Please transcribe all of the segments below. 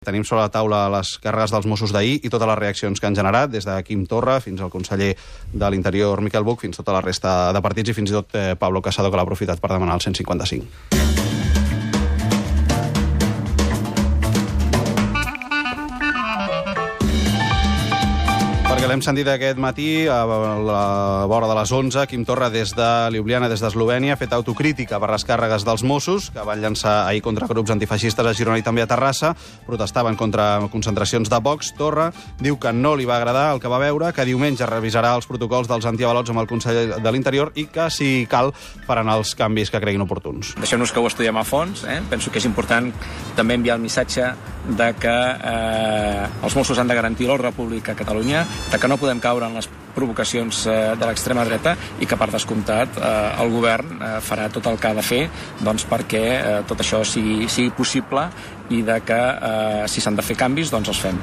Tenim sobre la taula les càrregues dels Mossos d'ahir i totes les reaccions que han generat, des de Quim Torra fins al conseller de l'Interior, Miquel Buch, fins tota la resta de partits i fins i tot Pablo Casado, que l'ha aprofitat per demanar el 155. Perquè l'hem sentit aquest matí, a la vora de les 11, Quim Torra des de Ljubljana, des d'Eslovènia, ha fet autocrítica per les càrregues dels Mossos, que van llançar ahir contra grups antifeixistes a Girona i també a Terrassa, protestaven contra concentracions de Vox. Torra diu que no li va agradar el que va veure, que diumenge revisarà els protocols dels antiavalots amb el conseller de l'Interior i que, si cal, faran els canvis que creguin oportuns. Deixem-nos que ho estudiem a fons. Penso que és important també enviar el missatge de que els Mossos han de garantir l'ordre públic a Catalunya, de que no podem caure en les provocacions de l'extrema dreta i que, per descomptat, el govern farà tot el que ha de fer perquè tot això sigui possible i de que, si s'han de fer canvis, doncs els fem.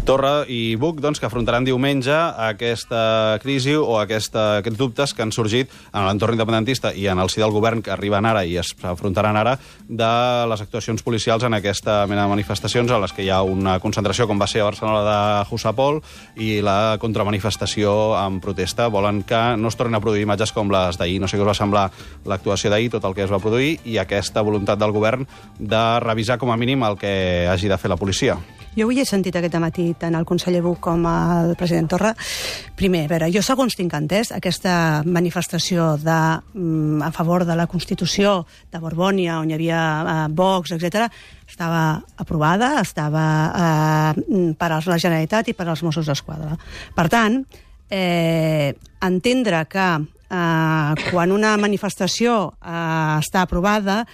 Torra i Buch, que afrontaran diumenge aquesta crisi o aquests dubtes que han sorgit en l'entorn independentista i en el si del govern, que arriben ara i es afrontaran ara, de les actuacions policials en aquesta mena de manifestacions a les que hi ha una concentració, com va ser a Barcelona de Jusapol, i la contramanifestació en protesta. Volen que no es tornin a produir imatges com les d'ahir. No sé què us va semblar l'actuació d'ahir, tot el que es va produir, i aquesta voluntat del govern de revisar com a mínim el que hagi de fer la policia. Jo avui he sentit aquest matí tant el conseller Buch com el president Torra. Primer, a veure, jo segons tinc entès, aquesta manifestació a favor de la Constitució de Borbònia, on hi havia Vox, etc., estava aprovada, estava per a la Generalitat i per als Mossos d'Esquadra. Per tant, entendre que quan una manifestació està aprovada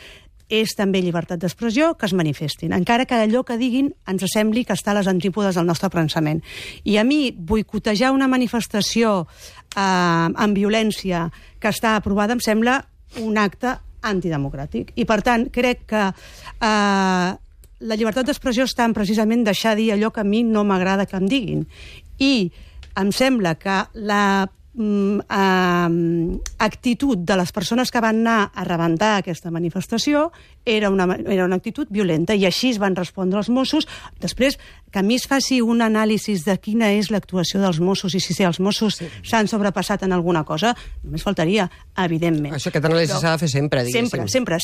és també llibertat d'expressió, que es manifestin, encara que allò que diguin ens sembli que està a les antípodes del nostre pensament. I a mi, boicotejar una manifestació amb violència que està aprovada em sembla un acte antidemocràtic. I, per tant, crec que la llibertat d'expressió està en precisament deixar dir allò que a mi no m'agrada que em diguin. I em sembla que la actitud de les persones que van anar a rebentar aquesta manifestació era una actitud violenta, i així es van respondre els Mossos. Després, que a mi es faci un anàlisi de quina és l'actuació dels Mossos i si els Mossos s'han sobrepassat en alguna cosa, només faltaria, evidentment. Això, aquest anàlisi s'ha de fer sempre, diguéssim. Sempre.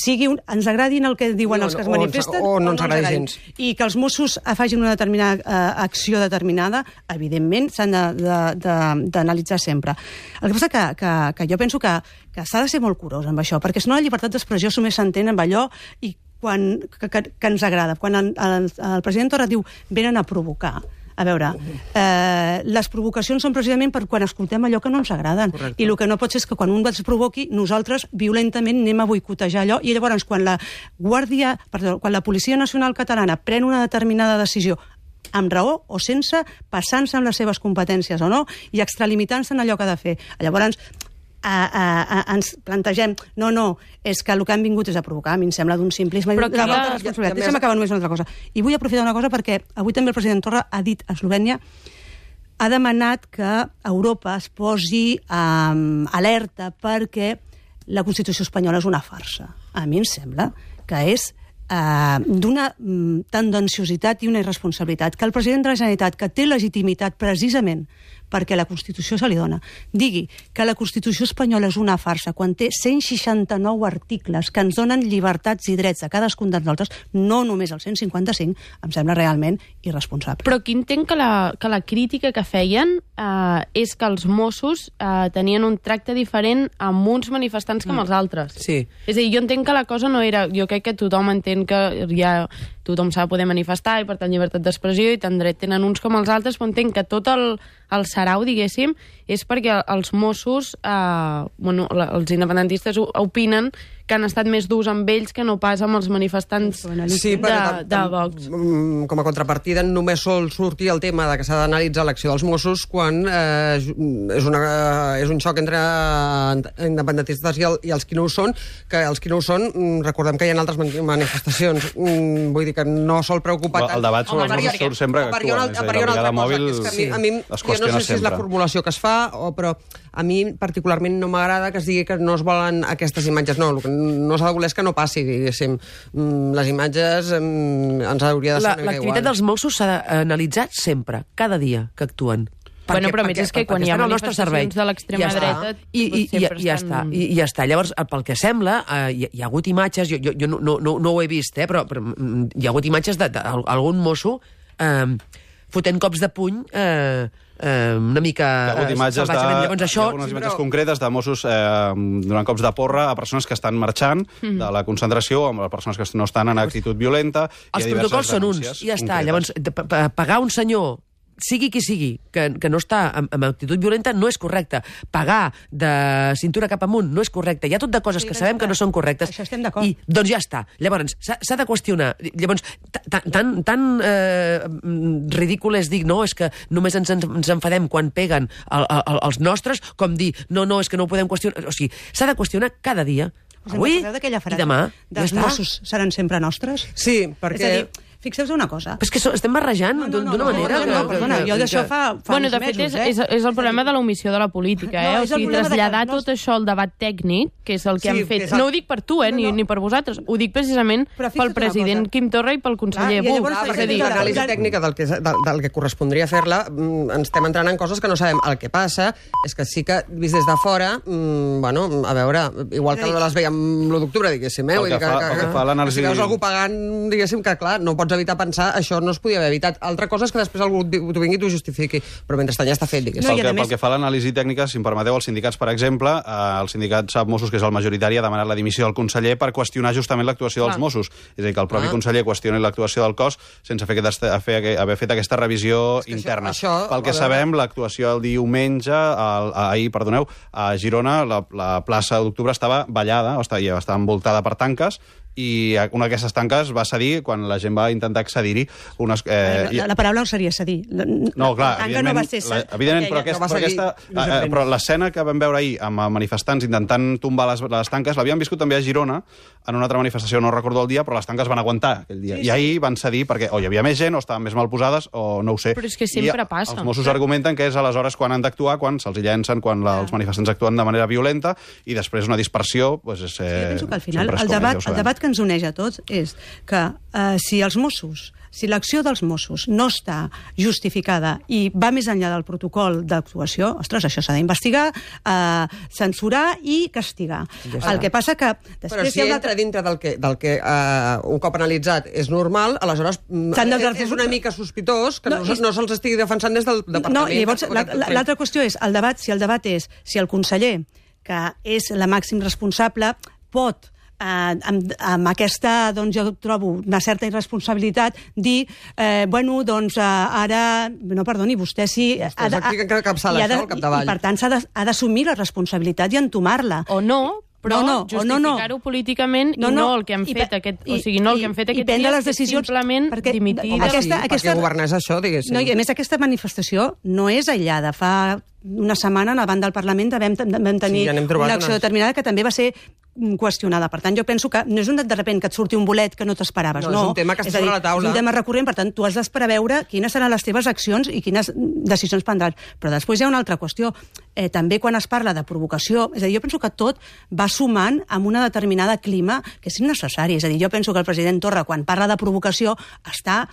Ens agradin el que diuen els que es manifesten o no ens agradi gens. I que els Mossos facin una determinada acció determinada, evidentment, s'han d'analitzar sempre. El que passa que jo penso que s'ha de ser molt curós amb això, perquè si no la llibertat d'expressió només s'entén amb allò que ens agrada. Quan el president Torra diu venen a provocar, a veure, les provocacions són precisament per quan escoltem allò que no ens agraden. Correcte. I el que no pot ser és que quan un ens provoqui, nosaltres violentament anem a boicotejar allò, i llavors quan la Policia Nacional Catalana pren una determinada decisió amb raó o sense, passant-se amb les seves competències o no, i extralimitant-se en allò que ha de fer. Llavors ens plantegem, no, és que el que han vingut és a provocar. A mi em sembla d'un simplisme i de la falta de responsabilitat. Deixa'm acabar només una altra cosa. I vull aprofitar una cosa perquè avui també el president Torra ha dit a Eslovènia, ha demanat que Europa es posi alerta perquè la Constitució espanyola és una farsa. A mi em sembla que és d'una tendenciositat i una irresponsabilitat que el president de la Generalitat, que té legitimitat precisament perquè la Constitució se li dona, digui que la Constitució espanyola és una farsa quan té 169 articles que ens donen llibertats i drets a cadascun de nosaltres, no només el 155, em sembla realment irresponsable. Però aquí entenc que la crítica que feien és que els Mossos tenien un tracte diferent amb uns manifestants que amb els altres. Sí. És a dir, jo entenc que la cosa no era... Jo crec que tothom entén que ja tothom s'ha de poder manifestar i, per tant, llibertat d'expressió, i tant dret tenen uns com els altres, però entenc que tot el sarau, diguéssim, és perquè els Mossos, els independentistes opinen que han estat més durs amb ells que no pas amb els manifestants de Vox. Com a contrapartida, només sol sortir el tema de que s'ha d'analitzar l'acció dels Mossos quan és un xoc entre independentistes i els que no ho són, que els que no ho són, recordem que hi ha altres manifestacions. Vull dir que no sol preocupar tant. El debat sobre els Mossos surt sempre que actuen. A part, hi ha una altra cosa, que a mi jo no sé si és la formulació que es fa, però a mi particularment no m'agrada que es digui que no es volen aquestes imatges. No, el que no s'ha de voler és que no passi, diguéssim. Les imatges ens hauria de ser una mica igual. L'activitat dels Mossos s'ha d'analitzar sempre, cada dia que actuen. Bueno, però és que quan hi ha manifestacions de l'extrema dreta... I ja està. Llavors, pel que sembla, hi ha hagut imatges, jo no ho he vist, però hi ha hagut imatges d'algun mosso fotent cops de puny una mica salvatgement. Hi ha algunes imatges concretes de Mossos donant cops de porra a persones que estan marxant de la concentració, amb les persones que no estan en actitud violenta. Els protocols són uns, i ja està. Llavors, pagar un senyor, sigui qui sigui, que no està en actitud violenta, no és correcte. Pagar de cintura cap amunt no és correcte. Hi ha tot de coses que sabem que no són correctes. Això estem d'acord. I, doncs ja està. Llavors, s'ha de qüestionar. Llavors, tan ridícul és dir, no, és que només ens enfadem quan peguen els nostres, com dir, no, és que no ho podem qüestionar. O sigui, s'ha de qüestionar cada dia. Avui i demà. Els Mossos seran sempre nostres? Sí, perquè... És a dir, fixeu-vos una cosa. Però és que estem barrejant d'una manera... No, perdona, jo d'això fa uns mesos. De fet, és el problema de l'omissió de la política, O sigui, traslladar tot això al debat tècnic, que és el que han fet. No ho dic per tu, ni per vosaltres. Ho dic precisament pel president Quim Torra i pel conseller Buch. Perquè l'anàlisi tècnica del que correspondria fer-la, ens estem entrant en coses que no sabem. El que passa és que sí que, vist des de fora, bueno, a veure, igual que les veiem l'1 d'octubre, diguéssim, si veus algú pagant, diguéssim, que clar, no pots evitar pensar, això no es podia haver evitat. Altra cosa és que després algú t'ho vingui i t'ho justifiqui, però mentrestant ja està fet, diguéssim. Pel que fa a l'anàlisi tècnica, si em permeteu, els sindicats, per exemple, el sindicat SAP Mossos, que és el majoritari, ha demanat la dimissió del conseller per qüestionar justament l'actuació dels Mossos. És a dir, que el propi conseller qüestioni l'actuació del cos sense haver fet aquesta revisió interna. Pel que sabem, l'actuació el diumenge, ahir, perdoneu, a Girona, la plaça d'Octubre estava ballada, estava envoltada per tanques, i una d'aquestes tanques va cedir quan la gent va intentar accedir-hi. La paraula no seria cedir. No, clar, però l'escena que vam veure ahir amb manifestants intentant tombar les tanques l'havien viscut també a Girona en una altra manifestació, no recordo el dia, però les tanques van aguantar aquell dia. I ahir van cedir perquè o hi havia més gent o estaven més mal posades o no ho sé. Però és que sempre passa. Els Mossos argumenten que és aleshores quan han d'actuar, quan se'ls llencen, quan els manifestants actuen de manera violenta i després una dispersió... Jo penso que al final el debat que ens uneix a tots és que si l'acció dels Mossos no està justificada i va més enllà del protocol d'actuació, ostres, això s'ha d'investigar, censurar i castigar. El que passa que... Però si entra dintre del que un cop analitzat és normal, aleshores és una mica sospitós que no se'ls estigui defensant des del departament. No, i llavors l'altra qüestió és si el debat és si el conseller, que és la màxim responsable, pot amb aquesta, doncs jo trobo una certa irresponsabilitat, dir, ara, no, perdoni, vostè sí... I per tant ha d'assumir la responsabilitat i entomar-la. O no, però justificar-ho políticament i no el que han fet aquest dia, simplement dimitir... Perquè governar és això, diguéssim. I a més, aquesta manifestació no és aïllada. Fa una setmana, davant del Parlament, vam tenir una acció determinada que també va ser qüestionada. Per tant, jo penso que no és de sobte que et surti un bolet que no t'esperaves. No, és un tema que està sobre la taula. És un tema recurrent, per tant, tu has d'esperar a veure quines seran les teves accions i quines decisions prendràs. Però després hi ha una altra qüestió. També quan es parla de provocació, és a dir, jo penso que tot va sumant amb una determinada clima que és innecessari. És a dir, jo penso que el president Torra, quan parla de provocació, està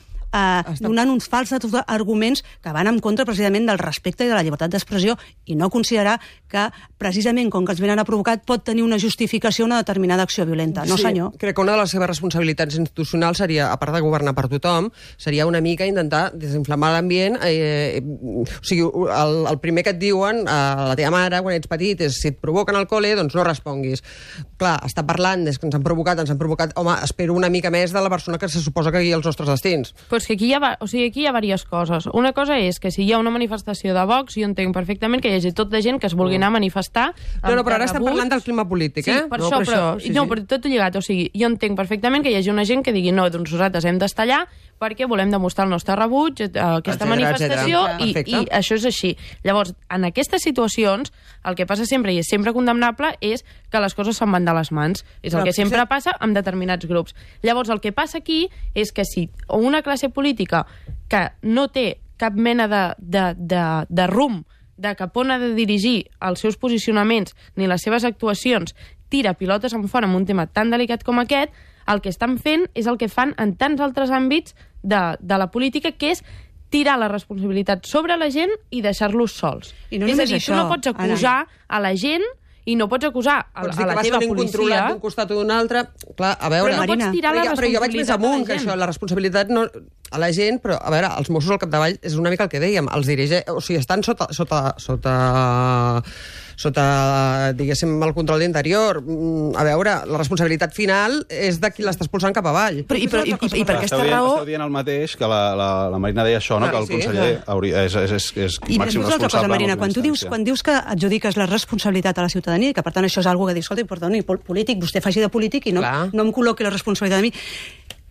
donant uns falsos arguments que van en contra precisament del respecte i de la llibertat d'expressió i no considerar que precisament com que els venen a provocar pot tenir una justificació una determinada acció violenta. No, senyor. Crec que una de les seves responsabilitats institucionals seria, a part de governar per tothom, seria una mica intentar desinflamar l'ambient. O sigui, el primer que et diuen a la teva mare quan ets petit és si et provoquen al col·le, doncs no responguis. Clar, està parlant des que ens han provocat, home, espero una mica més de la persona que se suposa que guia els nostres destins. Però és que aquí hi ha diverses coses. Una cosa és que si hi ha una manifestació de Vox, jo entenc perfectament que hi hagi tot de gent que es vulgui anar a manifestar... No, però ara estem parlant del clima polític, Sí, per això, però tot lligat. O sigui, jo entenc perfectament que hi hagi una gent que digui no, doncs nosaltres hem d'estar allà perquè volem demostrar el nostre rebuig a aquesta manifestació i això és així. Llavors, en aquestes situacions, el que passa sempre, i és sempre condemnable, és que les coses se'n van de les mans. És el que sempre passa amb determinats grups. Llavors, el que passa aquí és que si una classe política que no té cap mena de rumb de cap on ha de dirigir els seus posicionaments ni les seves actuacions tira pilotes en fora en un tema tan delicat com aquest, el que estan fent és el que fan en tants altres àmbits de la política, que és tirar la responsabilitat sobre la gent i deixar-los sols. I no és a només dir, això, tu no pots acusar a la gent i no pots acusar a la teva policia... incontrolat d'un costat o d'un altre. Clar, a veure... Però no pots tirar la responsabilitat però jo vaig més amunt que això, la responsabilitat no, a la gent, però a veure, els Mossos al capdavall és una mica el que dèiem, els dirigeix, o sigui, estan sota, diguéssim, el control d'interior. A veure, la responsabilitat final és de qui l'està expulsant cap avall. I per aquesta raó... Esteu dient el mateix que la Marina deia això, no? Que el conseller és màxim responsable. Marina, quan dius que adjudiques la responsabilitat a la ciutadania i que, per tant, això és una cosa que dius, escolta, perdoni, polític, vostè faci de polític i no em col·loqui la responsabilitat a mi.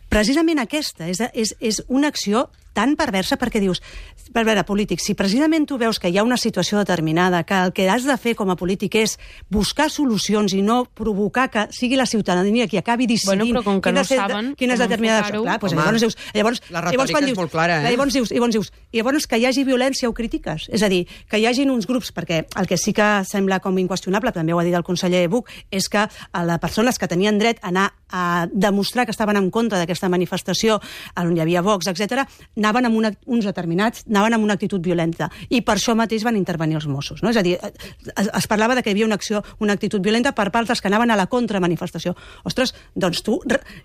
Precisament aquesta és una acció tan perversa perquè dius, per veure, polític, si precisament tu veus que hi ha una situació determinada, que el que has de fer com a polític és buscar solucions i no provocar que sigui la ciutadania qui acabi decidint quines determinades... Clar, doncs llavors, la retòrica és molt clara, llavors que hi hagi violència ho critiques. És a dir, que hi hagin uns grups, perquè el que sí que sembla com inqüestionable, també ho ha dit el conseller Buch, és que les persones que tenien dret a anar a demostrar que estaven en contra d'aquesta manifestació on hi havia Vox, etc., anaven amb uns determinats, anaven amb una actitud violenta. I per això mateix van intervenir els Mossos. No? És a dir, es parlava de que hi havia una actitud violenta per part dels que anaven a la contramanifestació. Ostres, doncs tu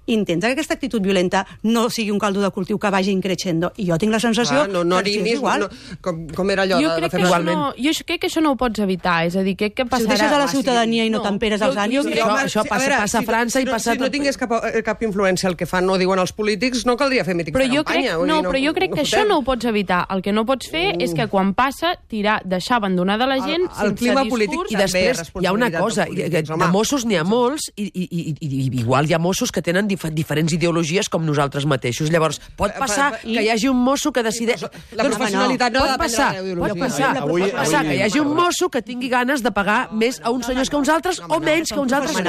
intenta que aquesta actitud violenta no sigui un caldo de cultiu que vagi increixendo. I jo tinc la sensació que és igual. Com era allò de fer igualment? Jo crec que això no ho pots evitar. És a dir, crec que passarà... Si ho deixes a la ciutadania i no temperes els ànims... Això passa a França i passa... Si no tingués cap influència el que fan o diuen els polítics, no caldria fer mítings de campanya. Però jo crec que això no ho pots evitar. El que no pots fer és que quan passa, deixar abandonada la gent el clima polític. I després hi ha una cosa, de Mossos n'hi ha molts i igual hi ha Mossos que tenen diferents ideologies com nosaltres mateixos. Llavors, pot passar que hi hagi un mosso que decideix... La professionalitat no ha de Pot passar que hi hagi un mosso que tingui ganes de pagar més a uns senyors que uns altres o menys que uns altres.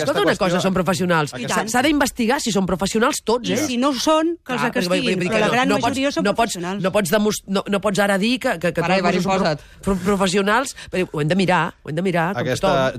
Tota una cosa són professionals. S'ha d'investigar si són professionals tots, I si no són, que els castiguin. Però la gran majoria són professionals. No pots ara dir que tots són professionals. Ho hem de mirar,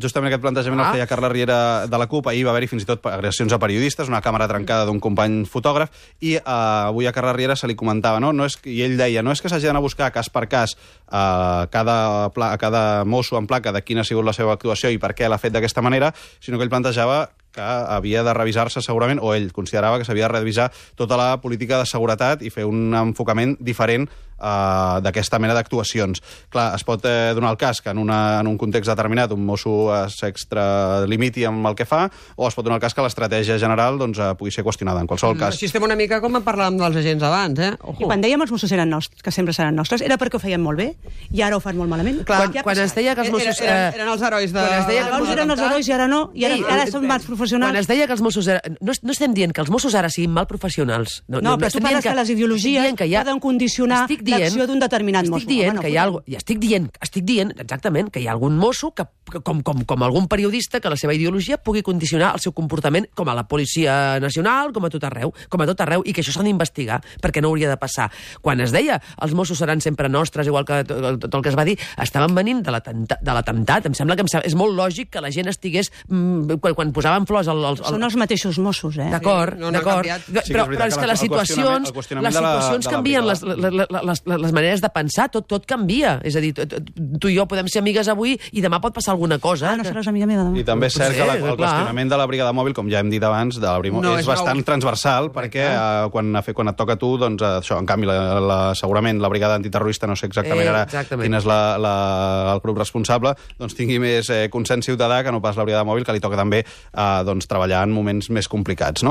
Justament aquest plantejament el feia Carla Riera de la CUP. Ahir va haver-hi fins i tot agressions a periodistes, una càmera trencada d'un company fotògraf, i avui a Carla Riera se li comentava, i ell deia, no és que s'hagi d'anar a buscar cas per cas a cada mosso en placa de quina ha sigut la seva actuació i per què l'ha fet d'aquesta manera, sinó que ell plantejava que havia de revisar-se segurament, o ell considerava que s'havia de revisar tota la política de seguretat i fer un enfocament diferent d'aquesta mena d'actuacions. Clar, es pot donar el cas que en un context determinat un mosso s'extralimiti amb el que fa, o es pot donar el cas que l'estratègia general pugui ser qüestionada. En qualsevol cas... Així estem una mica com parlàvem dels agents abans, I quan dèiem els Mossos eren nostres, que sempre seran nostres, era perquè ho feien molt bé, i ara ho fan molt malament. Quan es deia que els Mossos... Eren els herois de... Abans eren els herois i ara no, i ara són mals professionals. Quan es deia que els Mossos... No estem dient que els Mossos ara siguin mal professionals. No, però tu parles que les ideologies poden condicionar l'acció d'un determinat mosso. Estic dient exactament que hi ha algun mosso que, com algun periodista, que la seva ideologia pugui condicionar el seu comportament com a la Policia Nacional, com a tot arreu, i que això s'ha d'investigar, perquè no hauria de passar. Quan es deia els Mossos seran sempre nostres, igual que tot el que es va dir, estaven venint de l'atemptat. Em sembla que és molt lògic que la gent estigués... Quan posaven flors... Són els mateixos Mossos, D'acord. Però és que les situacions canvien, les maneres de pensar, tot canvia. És a dir, tu i jo podem ser amigues avui i demà pot passar alguna cosa. No seràs amiga meva demà. I també és cert que el qüestionament de la brigada mòbil, com ja hem dit abans, és bastant transversal, perquè quan et toca a tu, doncs això, en canvi, segurament la brigada antiterrorista, no sé exactament ara quin és el grup responsable, doncs tingui més consens ciutadà que no pas la brigada mòbil, que li toca també treballar en moments més complicats, no?